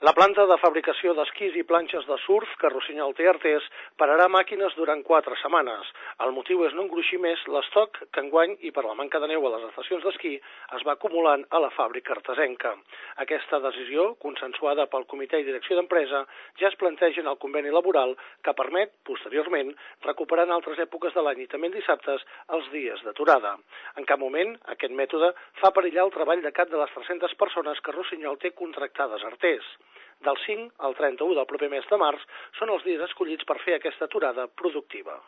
La planta de fabricació d'esquís i planxes de surf que Rossinyol té Artés pararà màquines durant 4 setmanes. El motiu és no engruixir més l'estoc que enguany i per la manca de neu a les estacions d'esquí es va acumulant a la fàbrica artesenca. Aquesta decisió, consensuada pel comitè i direcció d'empresa, ja es planteja en el conveni laboral que permet, posteriorment, recuperar en altres èpoques de l'any i també en dissabtes els dies d'aturada. En cap moment, aquest mètode fa perillar el treball de cap de les 300 persones que Rossinyol té contractades a Artés. Del 5 al 31 del proper mes de març són els dies escollits per fer aquesta aturada productiva.